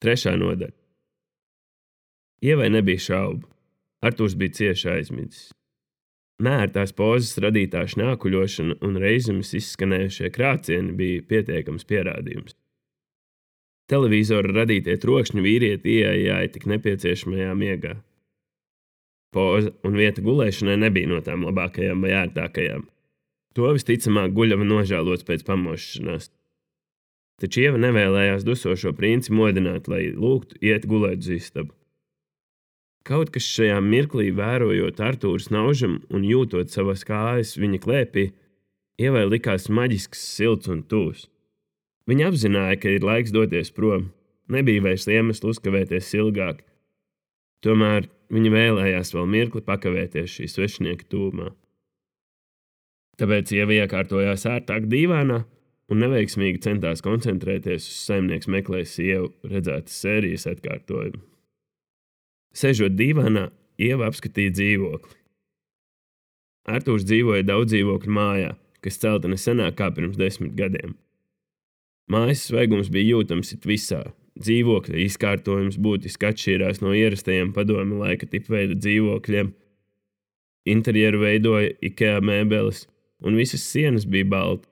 Trešā nodaļa. Ievai nebija šaubu. Artūrs bija cieši aizmidzis. Neērtās pozas radītā šņākuļošana un reizemes izskanējušie krācieni bija pietiekams pierādījums. Televīzora radītie trokšņi vīrieti ieejāja tik nepieciešamajā miegā. Poza un vieta gulēšanai nebija no tām labākajām vai ērtākajām. To visticamāk guļava nožēlots pēc pamošanās. Taču Ieva nevēlējās dusošo princi modināt, lai lūgtu iet gulēt uz istabu. Kaut kas šajā mirklī, vērojot Artūra snaužam un jūtot savas kājas viņa klēpī, Ievai likās maģisks, silts un tuvs. Viņa apzināja, ka ir laiks doties prom. Nebija vairs iemeslu uzkavēties ilgāk. Tomēr viņa vēlējās vēl mirkli pakavēties šī svešinieka tūmā. Tāpēc Ieva iekārtojās ērtāk dīvānā un neveiksmīgi centās koncentrēties uz Saimnieks meklē sievu redzētas sērijas atkārtojumu. Sežot dīvānā, Ieva apskatīja dzīvokli. Artūrs dzīvoja daudz dzīvokļu mājā, kas celta nesenāk kā pirms 10 gadiem. Mājas svaigums bija jūtams it visā. Dzīvokļa izkārtojums būtiski atšķīrās no ierastajiem padomju laika tipveida dzīvokļiem. Interjeru veidoja IKEA mēbeles, un visas sienas bija balta.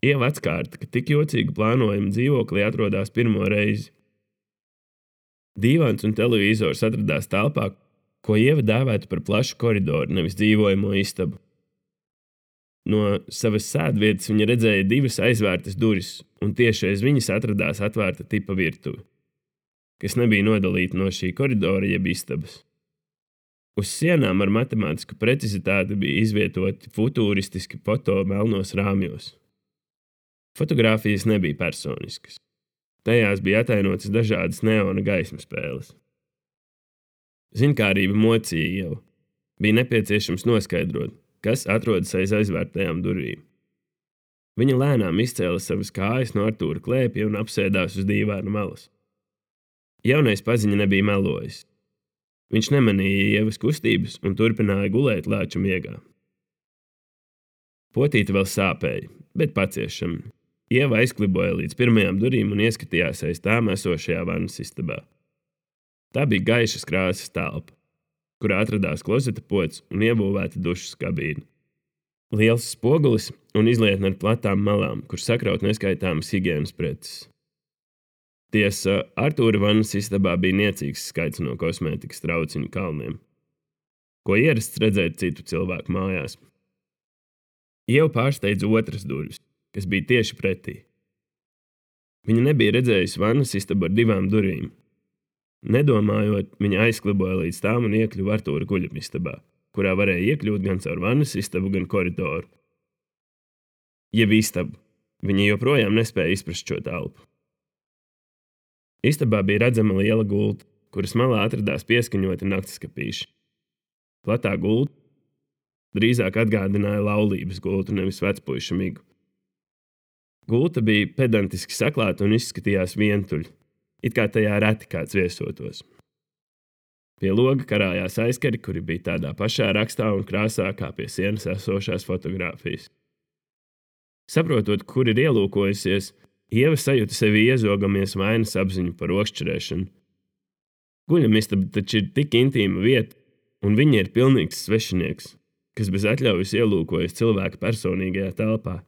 Ieva atskārta, ka tik jocīgu plānojumu dzīvoklī atrodas pirmo reizi. Dīvāns un televizors atradās telpā, ko Ieva dēvētu par plašu koridoru, nevis dzīvojamo istabu. No savas sēdvietas viņa redzēja 2 aizvērtas durvis, un tieši aiz viņas atradās atvērta tipa virtuve, kas nebija nodalīta no šī koridora jeb istabas. Uz sienām ar matemātisku precizitāti bija izvietoti futūristiski foto melnos rāmjos. Fotogrāfijas nebija personiskas. Tajās bija atainotas dažādas neona gaismas spēles. Zinkārība mocīja Ievu. Bija nepieciešams noskaidrot, kas atrodas aiz aizvērtajām durvīm. Viņa lēnām izcēla savas kājas no Artūra klēpja un apsēdās uz dīvāna malas. Jaunais paziņa nebija melojis. Viņš nemanīja Ievas kustības un turpināja gulēt lēča miegā. Potīte vēl sāpēja, bet paciešami. Ieva aizkliboja līdz pirmajām durvīm un ieskatījās aiz tām esošajā vannas istabā. Tā bija gaišas krāsas telpa, kurā atradās klozeta pods un iebūvēta dušas kabīne. Liels spogulis un izlietne ar platām malām, kur sakraut neskaitāmas higienas preces. Tiesa, Artūra vannas istabā bija niecīgs skaits no kosmētikas trauciņu kalniem, ko ierasts redzēt citu cilvēku mājās. Ieva pārsteidza otras durvis, kas bija tieši pretī. Viņa nebija redzējusi vannas istabu ar 2 durvīm. Nedomājot, viņa aizkliboja līdz tām un iekļuva Artūra guļamistabā, kurā varēja iekļūt gan caur vannas istabu, gan koridoru. Jeb istabu. Viņa joprojām nespēja izprast šo telpu. Istabā bija redzama liela gulta, kuras malā atradās pieskaņoti naktiskapīši. Platā gulta drīzāk atgādināja laulības gultu, nevis vecpuiša migu. Gulta bija pedantiski saklāta un izskatījās vientuļa, it kā tajā reti kāds viesotos. Pie loga karājās aizkari, kuri bija tādā pašā rakstā un krāsā kā pie sienas esošās fotogrāfijas. Saprotot, kur ir ielūkojusies, Ieva sajūta sevi iezogamies vainas apziņu par okšķerēšanu. Guļamistaba taču ir tik intīma vieta, un viņa ir pilnīgs svešinieks, kas bez atļaujas ielūkojas cilvēka personīgajā telpā.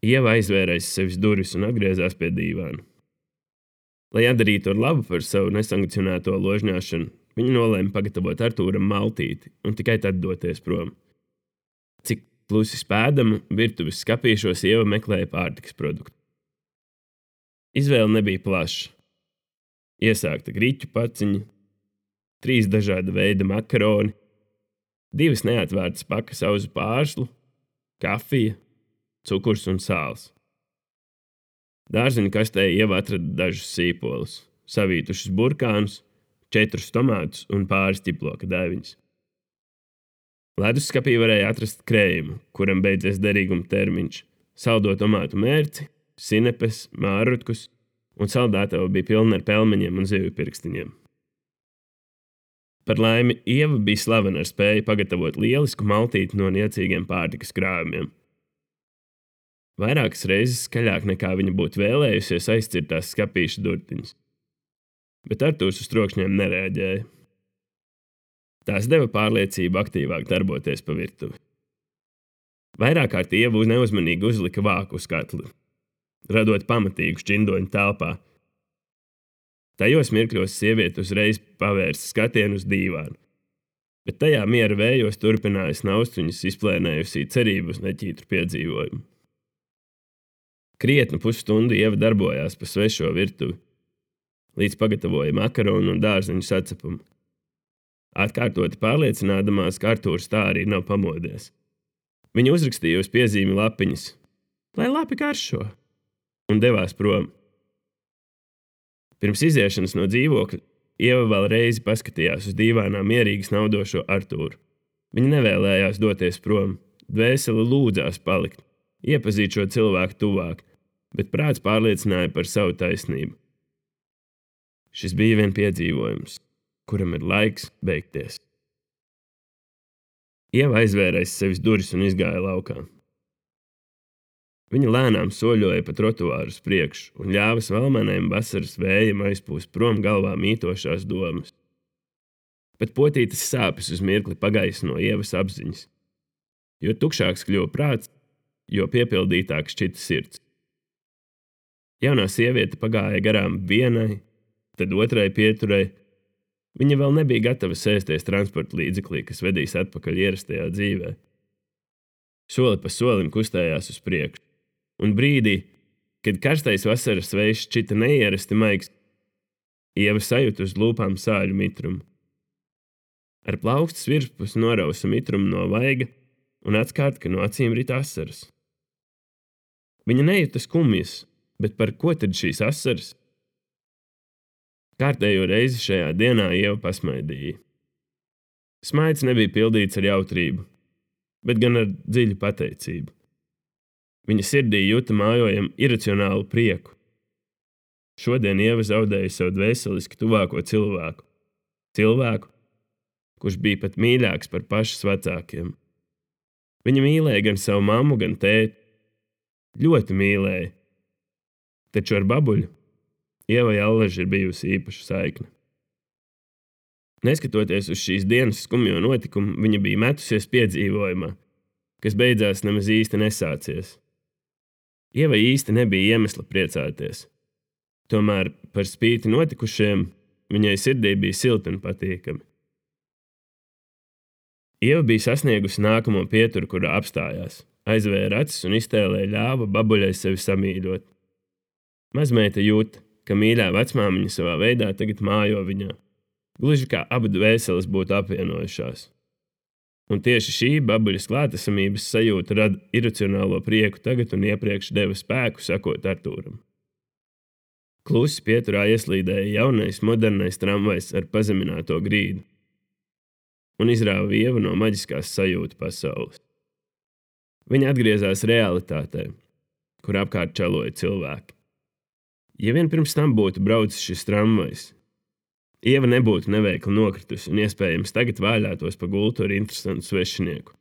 Ieva aizvērēs sevis durvis un atgriezās pie dīvāna. Lai atdarītu ar labu par savu nesankcionēto ložņāšanu, viņa nolēma pagatavot Artūram maltīti un tikai tad doties prom. Cik klusi spēdama, virtuves skapīšos Ieva meklēja pārtikas produktu. Izvēle nebija plaša. Iesākta griķu paciņa, 3 dažāda veida makaroni, 2 neatvērtas pakas auzu pārslu, kafija, cukurs un sāls. Dārzeņu kastē Ieva atrada dažus sīpolus, savītušus burkānus, 4 tomātus un pāris ķiploka daiviņas. Leduskapī varēja atrast krējumu, kuram beidzies derīguma termiņš, saldo tomātu mērci, sinepes, mārrutkus, un saldētava bija pilna ar pelmeņiem un zivju pirkstiņiem. Par laimi, Ieva bija slavena ar spēju pagatavot lielisku maltīti no niecīgiem pārtikas krājumiem. Vairākas reizes skaļāk nekā viņa būtu vēlējusies aizcirt tās skapīša durtiņas. Bet Artūrs uz trokšņiem nereaģēja. Tās deva pārliecību aktīvāk darboties pa virtuvi. Vairāk kārt Ieva neuzmanīgi uzlika vāku uz katli, radot pamatīgu šķindoņu telpā. Tajos mirkļos sieviete uzreiz pavērsa skatienu uz dīvānu, bet tajā miera vējos turpināja snaust viņas izplēnējusī cerību uz neķītru piedzīvojumu. Krietnu pusstundu Ieva darbojās pa svešo virtuvi, līdz pagatavoja makaronu un dārzeņu sacepumu. Atkārtoti pārliecinādamās, ka Artūrs tā arī nav pamodies. Viņa uzrakstīja uz piezīmi lapiņas, lai lapi garšo, un devās prom. Pirms iziešanas no dzīvokļa Ieva vēl reizi paskatījās uz dīvānā mierīgi snaudošo Artūru. Viņa nevēlējās doties prom, dvēsele lūdzās palikt, iepazīt šo cilvēku tuvāk, bet prāts pārliecināja par savu taisnību. Šis bija vien piedzīvojums, kuram ir laiks beigties. Ieva aizvēra aiz sevis durvis un izgāja laukā. Viņa lēnām soļoja pa trotuāru uz priekšu un ļāva svalmenēm vasaras vējam aizpūst prom galvā mītošās domas. Bet potītas sāpes uz mirkli pagaisno Ievas apziņas. Jo tukšāks kļuva prāts, jo piepildītāk šķita sirds. Jaunā sieviete pagāja garām vienai, tad otrai pieturai. Viņa vēl nebija gatava sēsties transporta līdzeklī, kas vedīs atpakaļ ierastajā dzīvē. Soli pa solim kustējās uz priekšu, un brīdī, kad karstais vasaras vējš šķita neierasti maigs, Ieva sajūta uz lūpām sāļu mitrumu. Ar plaukstas virspusi norausa mitrumu no vaiga un atskārta, ka no acīm rit asaras. Viņa nejuta skumjas, bet par ko tad šīs asaras? Kārtējo reizi šajā dienā Ieva pasmaidīja. Smaids nebija pildīts ar jautrību, bet gan ar dziļu pateicību. Viņa sirdī jūta mājojam iracionālu prieku. Šodien Ieva zaudēja savu dvēseliski tuvāko cilvēku. Cilvēku, kurš bija pat mīļāks par pašas vecākiem. Viņa mīlēja gan savu mammu, gan tēti. Ļoti mīlēja. Taču ar babuļu Ievai allaži ir bijusi īpaša saikne. Neskatoties uz šīs dienas skumjo notikumu, viņa bija metusies piedzīvojumā, kas beidzās nemaz īsti nesācies. Ievai īsti nebija iemesla priecāties. Tomēr par spīti notikušiem viņai sirdī bija silti un patīkami. Ieva bija sasniegusi nākamo pieturu, kurā apstājās, aizvēra acis un iztēlē ļāva babuļai sevi samīļot. Mazmeita jūt, ka mīļā vecmāmiņa savā veidā tagad mājo viņā, gluži kā abi dvēseles būtu apvienojušās. Un tieši šī babuļas klātesamības sajūta rada iracionālo prieku tagad un iepriekš deva spēku sakot Artūram. Klusi pieturā ieslīdēja jaunais, modernais tramvajs ar pazemināto grīdu un izrāva Ievu no maģiskās sajūta pasaules. Viņa atgriezās realitātē, kur apkārt čaloja cilvēki. Ja vien pirms tam būtu braucis šis tramvajs, Ieva nebūtu neveikli nokritusi un iespējams tagad vāļātos pa gultu ar interesantu svešinieku.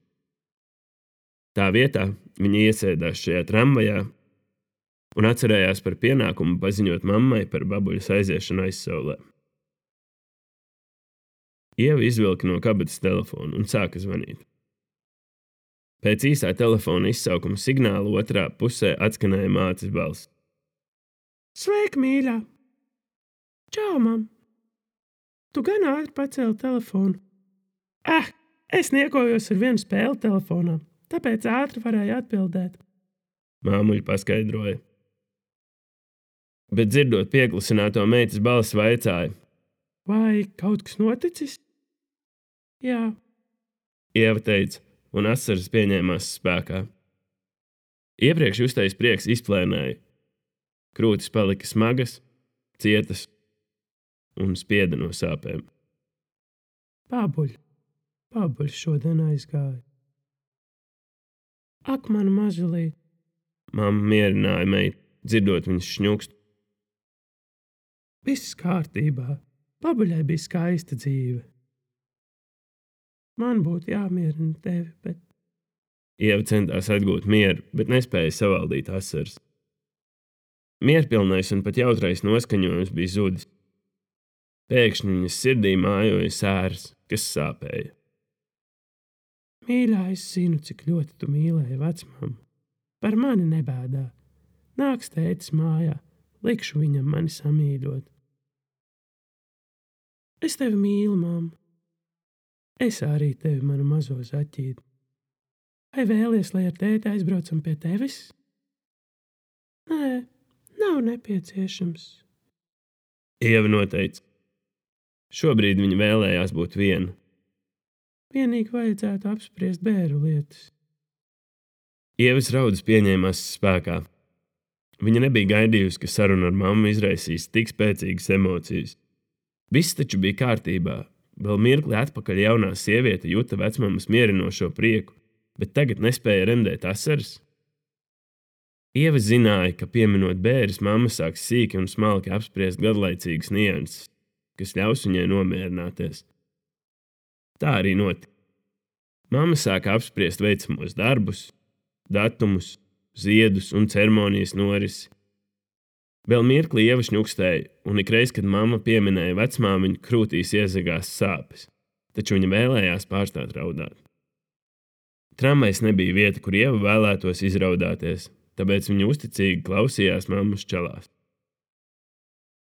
Tā vietā viņa iesēdās šajā tramvajā un atcerējās par pienākumu paziņot mammai par babuļas aiziešanu aizsaulē. Ieva izvilka no kabatas telefonu un sāka zvanīt. Pēc īsā telefona izsaukuma signāla otrā pusē atskanēja mātes balss. Sveika, mīļā! Čau, mam! Tu gan ātri pacēli telefonu. Es niekojos ar vienu spēli telefonā, tāpēc ātri varēju atbildēt. Māmuļa paskaidroja. Bet dzirdot pieklusināto meitas balsi vaicāja. Vai kaut kas noticis? Jā. Ieva teica, un asaras pieņēmās spēkā. Iepriekš justais prieks izplēnēja. Krūtis palika smagas, cietas un spieda no sāpēm. Babuļs šodien aizgāja. Ak, mana mažulīt! Mamma mierināja meitu, dzirdot viņas šņukstu. Viss kārtībā. Babuļai bija skaista dzīve. Man būtu jāmierina tevi, bet Ieva centās atgūt mieru, bet nespēja savaldīt asaras. Mierpilnais un pat jautrais noskaņojums bija zudis. Pēkšņi viņas sirdī mājoja sēras, kas sāpēja. Mīļā, es zinu, cik ļoti tu mīlēji vecmammu. Par mani nebēdā. Nāks tētis mājā, likšu viņam mani samīļot. Es tevi mīlu, mamma. Es arī tevi, manu mazo zaķīti. Vai vēlies, lai ar tēti aizbraucam pie tevis? Nē, nav nepieciešams. Ieva noteica. Šobrīd viņa vēlējās būt viena. Vienīgi vajadzētu apspriest bēru lietas. Ievas raudas pieņēmās spēkā. Viņa nebija gaidījusi, ka saruna ar mammu izraisīs tik spēcīgas emocijas. Viss taču bija kārtībā. Vēl mirkli atpakaļ jaunā sieviete juta vecmammas mierinošo prieku, bet tagad nespēja remdēt asaras. Ieva zināja, ka pieminot bēres, mamma sāks sīki un smalki apspriest gadlaicīgas nianses, kas ļaus viņai nomierināties. Tā arī notika. Mamma sāka apspriest veicamos darbus, datumus, ziedus un ceremonijas norisi. Vēl mirkli Ieva šņukstēja, un ikreiz, kad mamma pieminēja vecmāmiņu, krūtīs iezagās sāpes, taču viņa vēlējās pārstāt raudāt. Tramvajs nebija vieta, kur Ieva vēlētos izraudāties, tāpēc viņa uzticīgi klausījās mammas čalās.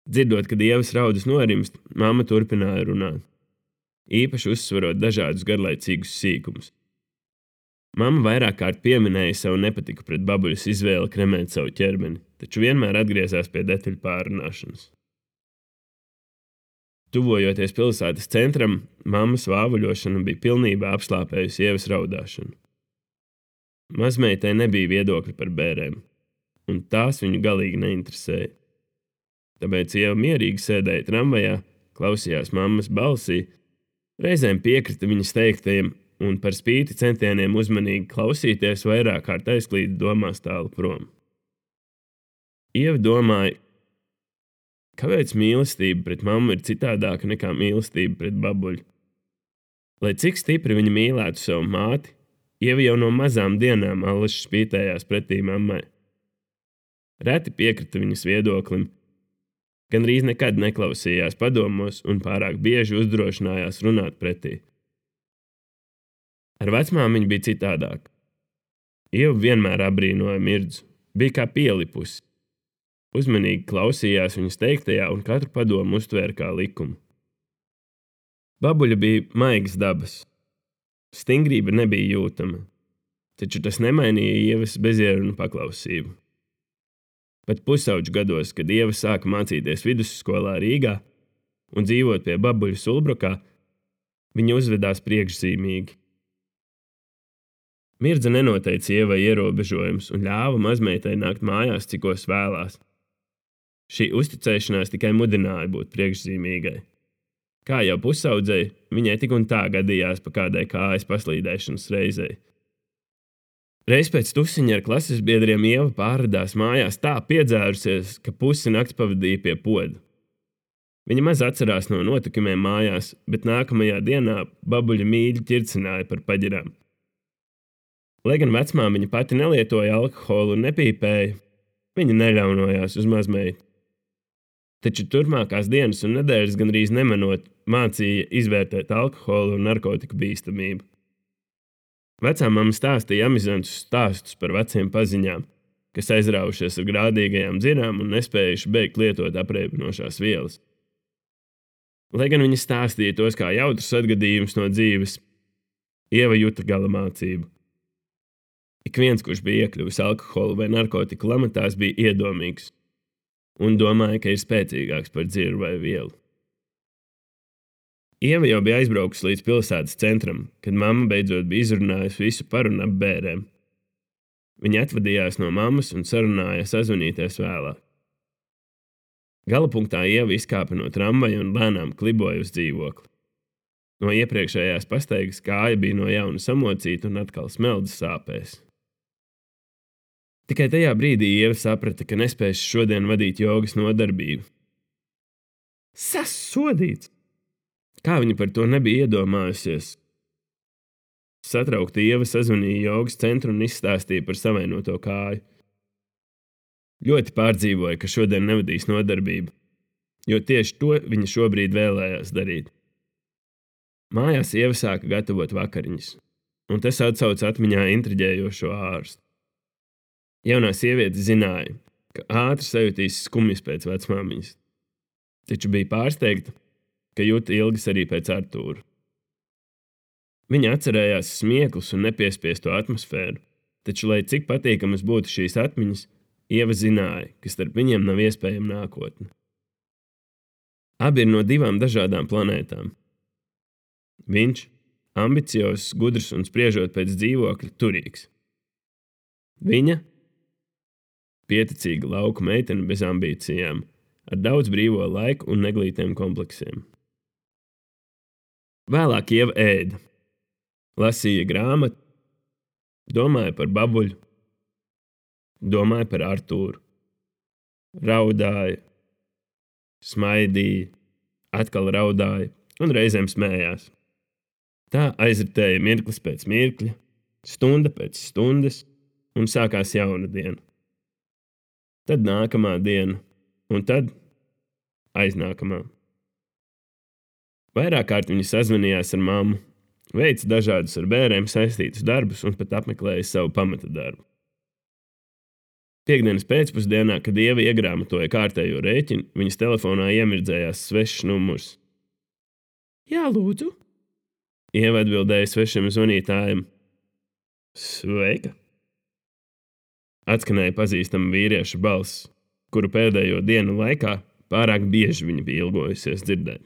Dzirdot, kad Ievas raudas norimst, mamma turpināja runāt, īpaši uzsverot dažādus garlaicīgus sīkumus. Mamma vairāk kārt pieminēja savu nepatiku pret babuļas izvēli kremēt savu ķermeni, taču vienmēr atgriezās pie detaļu pārrunāšanas. Tuvojoties pilsētas centram, mammas vāvuļošana bija pilnībā apslāpējusi Ievas raudāšanu. Mazmeitai nebija viedokļi par bērēm, un tās viņu galīgi neinteresēja. Tāpēc Ieva mierīgi sēdēja tramvajā, klausījās mammas balsī, reizēm piekrita viņas teiktajiem, un par spīti centieniem uzmanīgi klausīties vairāk kārt aizklīda domās tālu prom. Ieva domāja, kāpēc mīlestība pret mammu ir citādāka nekā mīlestība pret babuļu. Lai cik stipri viņa mīlētu savu māti, Ieva jau no mazām dienām allaši spītējās pretī mammai. Reti piekrita viņas viedoklim, gandrīz nekad neklausījās padomos un pārāk bieži uzdrošinājās runāt pretī. Ar vecmāmiņu bija citādāk. Ieva vienmēr abrīnoja Mirdzu, bija kā pielipusi. Uzmanīgi klausījās viņas teiktajā un katru padomu uztvēra kā likumu. Babuļa bija maigas dabas. Stingrība nebija jūtama, taču tas nemainīja Ievas bezierunu paklausību. Pat pusauģu gados, kad Ieva sāka mācīties vidusskolā Rīgā un dzīvot pie babuļa Sulbrokā, viņa uzvedās priekšzīmīgi. Mirdza nenoteica Ievai ierobežojums un ļāva mazmeitai nākt mājās, cikos vēlās. Šī uzticēšanās tikai mudināja būt priekšzīmīgai. Kā jau pusaudzei, viņai tik un tā gadījās pa kādai kājas paslīdēšanas reizei. Reiz pēc tusiņa ar klases biedriem Ieva pārradās mājās tā piedzērusies, ka pusi nakts pavadīja pie poda. Viņa maz atcerās no notikumiem mājās, bet nākamajā dienā babuļa mīļi ķircināja par paģirām. Lai gan vecmāmiņa pati nelietoja alkoholu un nepīpēja, viņa neļaunojās uz mazmeitu. Taču turpmākās dienas un nedēļas gandrīz nemanot mācīja izvērtēt alkoholu un narkotiku bīstamību. Vecāmamma stāstīja amizantus stāstus par veciem paziņām, kas aizrāvušies ar grādīgajām dzirām un nespējuši beigt lietot apreibinošās vielas. Lai gan viņa stāstīja tos kā jautrus atgadījumus no dzīves, Ieva juta gala mācību. Ik viens, kurš bija iekļuvis alkohola vai narkotiku lamatās, bija iedomīgs un domāja, ka ir spēcīgāks par dzirru vai vielu. Ieva jau bija aizbraukusi līdz pilsētas centram, kad mamma beidzot bija izrunājusi visu par un ap bērēm. Viņa atvadījās no mammas un sarunāja sazvanīties vēlāk. Galapunktā Ieva izkāpa no tramvaja un lēnām kliboja uz dzīvokli. No iepriekšējās pastaigas kāja bija no jauna samocīta un atkal smeldas sāpēs. Tikai tajā brīdī Ieva saprata, ka nespēs šodien vadīt jogas nodarbību. Sasodīts! Kā viņa par to nebija iedomājusies? Satraukta Ieva sazvanīja jogas centru un izstāstīja par savainoto kāju. Ļoti pārdzīvoja, ka šodien nevadīs nodarbību, jo tieši to viņa šobrīd vēlējās darīt. Mājās Ieva sāka gatavot vakariņas, un tas atsauca atmiņā intriģējošo ārstu. Jaunā sieviete zināja, ka ātri sajutīs skumjas pēc vecmāmiņas, taču bija pārsteigta, ka jūta ilgas arī pēc Artūra. Viņa atcerējās smieklus un nepiespiesto atmosfēru, taču, lai cik patīkamas būtu šīs atmiņas, Ieva zināja, ka starp viņiem nav iespējama nākotne. Abi ir no 2 dažādām planētām. Viņš – ambiciozs, gudrs un spriežot pēc dzīvokļa turīgs. Viņa – pieticīga lauku meitene bez ambīcijām, ar daudz brīvo laiku un neglītiem kompleksiem. Vēlāk Ieva ēda, lasīja grāmatu, domāja par babuļu, domāja par Artūru, raudāja, smaidīja, atkal raudāja un reizēm smējās. Tā aizritēja mirklis pēc mirkļa, stunda pēc stundas, un sākās jauna diena. Tad nākamā diena, un tad aiznākamā. Vairāk kārt viņa sazvanījās ar mammu, veica dažādus ar bērniem saistītus darbus un pat apmeklēja savu pamata darbu. Piektdienas pēcpusdienā, kad Ieva iegrāmatoja kārtējo rēķinu, viņas telefonā iemirdzējās svešs numurs. Jā, lūdzu. Ieva atbildēja svešam zvanītājam. Sveika! Atskanēja pazīstama vīrieša balss, kuru pēdējo dienu laikā pārāk bieži viņa bija ilgojusies dzirdēt.